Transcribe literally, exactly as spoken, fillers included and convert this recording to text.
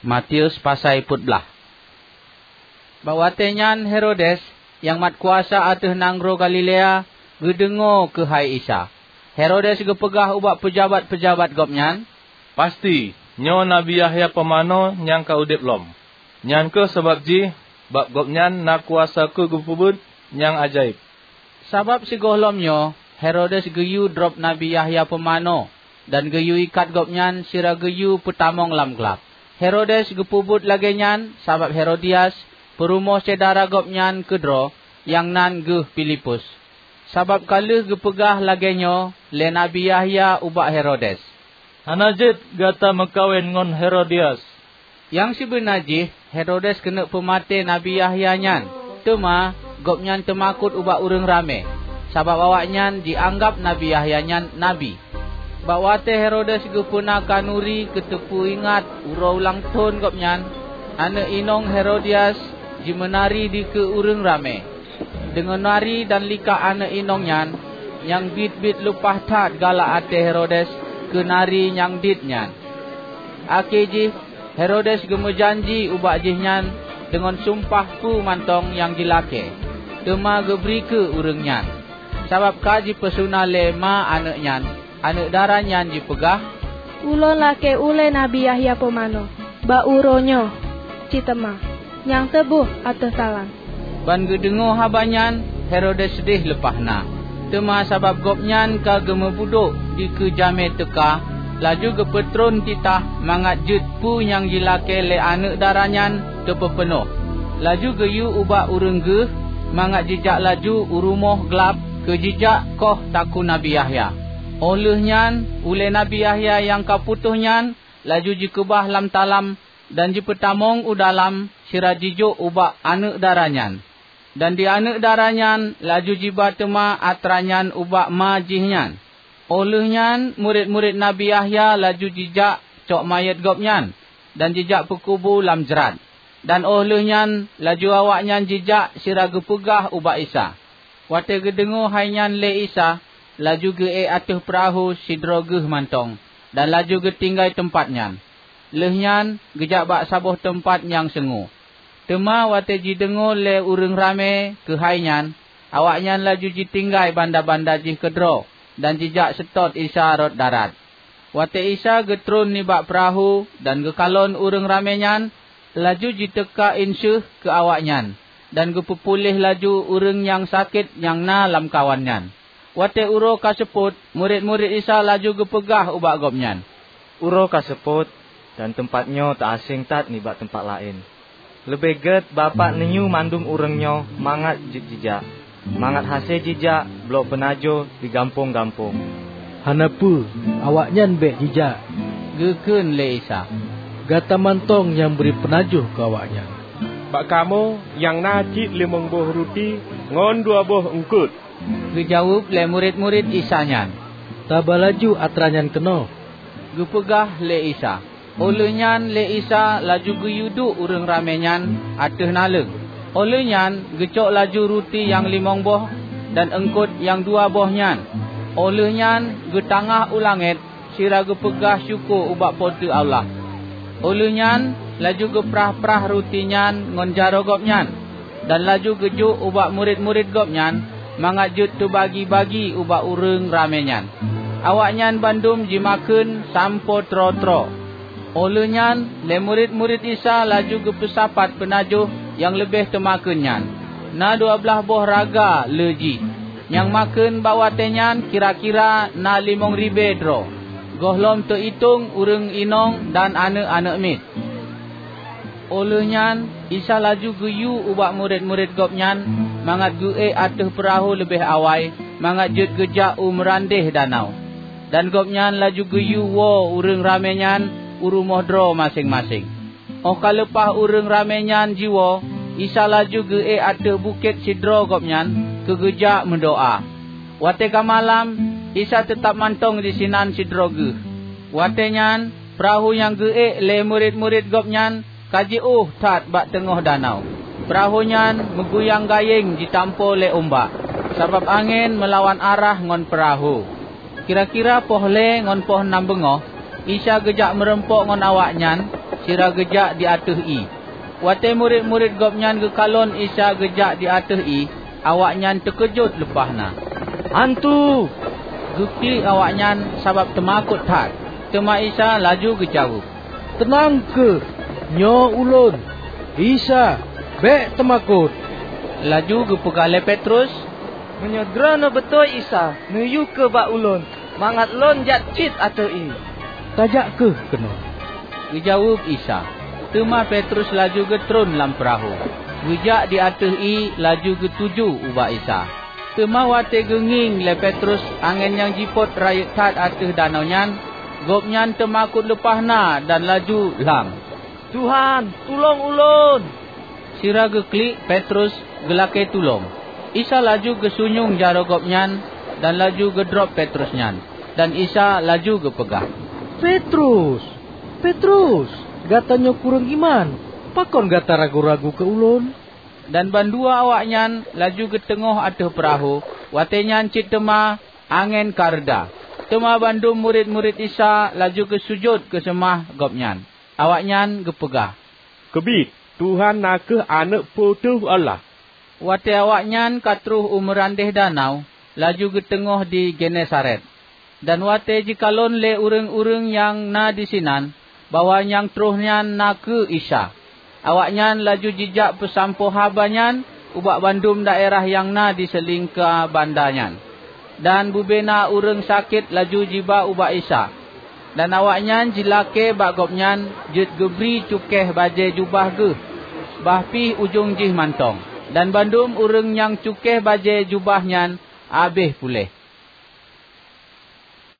Matius pasai peuet blaih. Bak watée nyan Herodes, nyang mat kuasa ateueh nanggroe Galilea, geudeungoe keuhai Isa. Herodes geupeugah ubak peujabat-peujabat gobnyan, "Pasti, nyoe Nabi Yahya Pumanö nyang ka udeb lom. Nyan kheueh sabab jih bak gobnyan na kuasa keu geupeubuet nyang ajaéb." Sabab sigohlom nyoe Herodes geuyue drob Nabi Yahya Pumanö dan geuyue ikat gobnyan sira geuyue peutamong lam glab. Herodes geupeubuet lagée nyan sabab Herodias, peurumoh syedara gobnyan keudroe, nyang nan geuh Filipus. Sabab ka lheueh geupeugah lagée nyoe lé Nabi Yahya ubak Herodes, "Hana jeuet gata meukawen ngon Herodias." Nyang sibeuna jih Herodes keuneuk peumaté Nabi Yahya nyan, teuma gobnyan teumakot ubak ureuëng ramé, sabab awaknyan jianggab Nabi Yahya nyan nabi. Bak watée Herodes geupeuna khanuri keuteupeu ingat uroe ulang thon gobnyan, aneuëk inong Herodias jimeunari dikeue ureuëng ramé. Deungon nari dan likak aneuëk inong nyan, nyang biet-biet leupah that galak até Herodes keu nari nyang dit nyan. Akhé jih, Herodes geumeujanji ubak jihnyan deungon sumpah peue mantong nyang jilakée, teuma geubri keu ureuëng nyan. Sabab ka jipeusuna lé ma aneuëk nyan, aneuëk dara nyan jipeugah, "Ulôn lakée ulée Nabi Yahya Pumanö bak uroe nyoe cit teuma, nyang teuboh ateueh talam." Ban geudeungoe haba nyan, Herodes seudeh leupah na. Teuma sabab gobnyan ka geumeubudok dikeue jamé teuka, laju geupeutron titah mangat jeuet peue nyang jilakée lé aneuëk dara nyan teupeupeunoh. Laju geuyue ubak ureuëng geuh mangat jijak laju u rumoh glab keu jijak koh takue Nabi Yahya. Óh lheueh nyan, ulée Nabi Yahya nyang ka putôh nyan laju jikeubah lam talam dan jipeutamong u dalam sira jijok ubak aneuëk dara nyan. Dan di aneuëk dara nyan laju jiba teuma atra nyan ubak ma jih nyan. Óh lheueh nyan, murit-murit Nabi Yahya laju jijak cok manyét gobnyan dan jijak peukubu lam jrat. Dan óh lheueh nyan laju awaknyan jijak sira geupeugah ubak Isa. Watée geudeungoe hai nyan lé Isa, laju geuék ateueh peurahô sidroe geuh mantong, dan laju geutinggai teumpat nyan. Lheueh nyan geujak bak saboh teumpat nyang seungue. Teuma watée jideungoe lé ureuëng ramé keuhai nyan, awaknyan laju jitinggai banda-banda jih keudroe dan jijak seutôt Isa rot darat. Watée Isa geutron nibak peurahô dan geukalon ureuëng ramé nyan, laju jiteuka inseuh keu awaknyan dan geupeupuléh laju ureuëng nyang sakét nyang na lamkawan nyan. Watée uroe ka seupôt, murit-murit Isa laju geupeugah ubak Gobnyan, "Uroe ka seupôt, dan teumpat nyoe teuaséng that nibak teumpat laén. Leubeh gét Bapak neuyue mandum ureuëng nyoe mangat jeuet jijak, mangat hase jijak bloe peunajoh di gampông-gampông." "Hana peue, awaknyan bék jijak," geukheun lé Isa. "Gata mantong nyang bri peunajoh keu awaknyan." "Bak kamoe nyang na cit limong boh ruti ngon dua boh eungkot," geujaweueb lé murit-murit Isa nyan. "Taba laju atra nyan keunoe," geupeugah lé Isa. Óh lheueh nyan lé Isa laju geuyue duek ureuëng ramé nyan ateueh naleueng. Óh lheueh nyan geucok laju ruti nyang limong boh dan eungkot nyang dua boh nyan. Óh lheueh nyan geutangah u langét sira geupeugah syukoe ubak Po teu Allah. Óh lheueh nyan laju geuprah-prah ruti nyan ngon jaroe Gobnyan, dan laju geujok ubak murit-murit Gobnyan mangat jeuet teubagi-bagi ubak ureuëng ramé nyan. Awaknyan bandum jimakheun sampoe troe-troe. Óh lheueh nyan lé murit-murit Isa laju geupeusapat peunajoh nyang leubeh teumakheun nyan. Na dua blaih boh raga le jih. Nyang makheun bak watée nyan kira-kira na limong ribée droe, gohlom teuitong ureuëng inong dan aneuëk-aneuëk miet. Óh lheueh nyan Isa laju geuyue ubak murit-murit Gobnyan mangat geuék ateueh peurahô leubeh awai mangat jeuet geujak u meurandeh danau. Dan Gobnyan laju geuyue woe ureuëng ramé nyan u rumoh droe maséng-maséng. Óh ka leupah ureuëng ramé nyan jiwoe, Isa laju geuék ateueh bukét sidroe Gobnyan keu geujak meudoá. Watée ka malam, Isa teutab mantong disinan sidroe geuh. Watée nyan peurahô nyang geuék lé murit-murit Gobnyan ka jiôh that bak teungoh danau. Peurahô nyan meuguyang gayeng jitampo lé umbak, sabab angén meulawan arah ngon peurahô. Kira-kira poh lhée ngon poh nam beungoh, Isa geujak meurumpok ngon awaknyan sira geujak di ateueh ié. Watée murit-murit Gobnyan geukalon Isa geujak di ateueh ié, awaknyan teukeujot leupah na. "Hantu!" geuklik awaknyan sabab teumakot that. Teuma Isa laju geujaweueb, "Teunang kheueh! Nyoe Ulôn, Isa. Bék teumakot!" Laju geupeugah lé Petrus, "Meunyoe Droeneueh beutôi Isa, neuyue kheueh bak ulôn, mangat lôn jak cit ateueh ié." "Tajak kheueh keunoe," geujaweueb Isa. Teuma Petrus laju geutron lam peurahô, geujak di ateueh ié laju geutuju ubak Isa. Teuma watée geungieng lé Petrus angén nyang jipot rayeuk that ateueh danau nyan, gobnyan teumakot leupah na dan laju lham, "Tuhan, tulông ulôn!" Sira geuklik Petrus geulakée tulông, Isa laju geusunyueng jaroe gobnyan dan laju geudrob Petrus nyan. Dan Isa laju geupeugah, "Petrus, Petrus, gata nyoe kureueng iman! Pakon gata ragu-ragu keu Ulôn?" Dan bandua awaknyan laju geuteungoh ateueh peurahô, watée nyan cit teuma angén ka reuda. Teuma bandum murit-murit Isa laju geusujut geuseumah Gobnyan. Awaknyan geupeugah, "Keubiet, Tuhan na kheueh Aneuëk Po teu Allah!" Watée awaknyan ka troh u meurandeh danau, laju geuteungoh di Genesaret. Dan watée jikalon lé ureuëng-ureuëng nyang na disinan bahwa nyang troh nyan na kheueh Isa, awaknyan laju jijak peusampoe haba nyan ubak bandum daerah nyang na di seulingka banda nyan. Dan bubena ureuëng sakét laju jiba ubak Isa, dan awaknyan jilakée bak Gobnyan jeuet geubri cukéh bajée jubah geuh bah pih ujong jih mantong. Dan bandum ureuëng nyang cukéh bajée jubah nyan habéh puléh.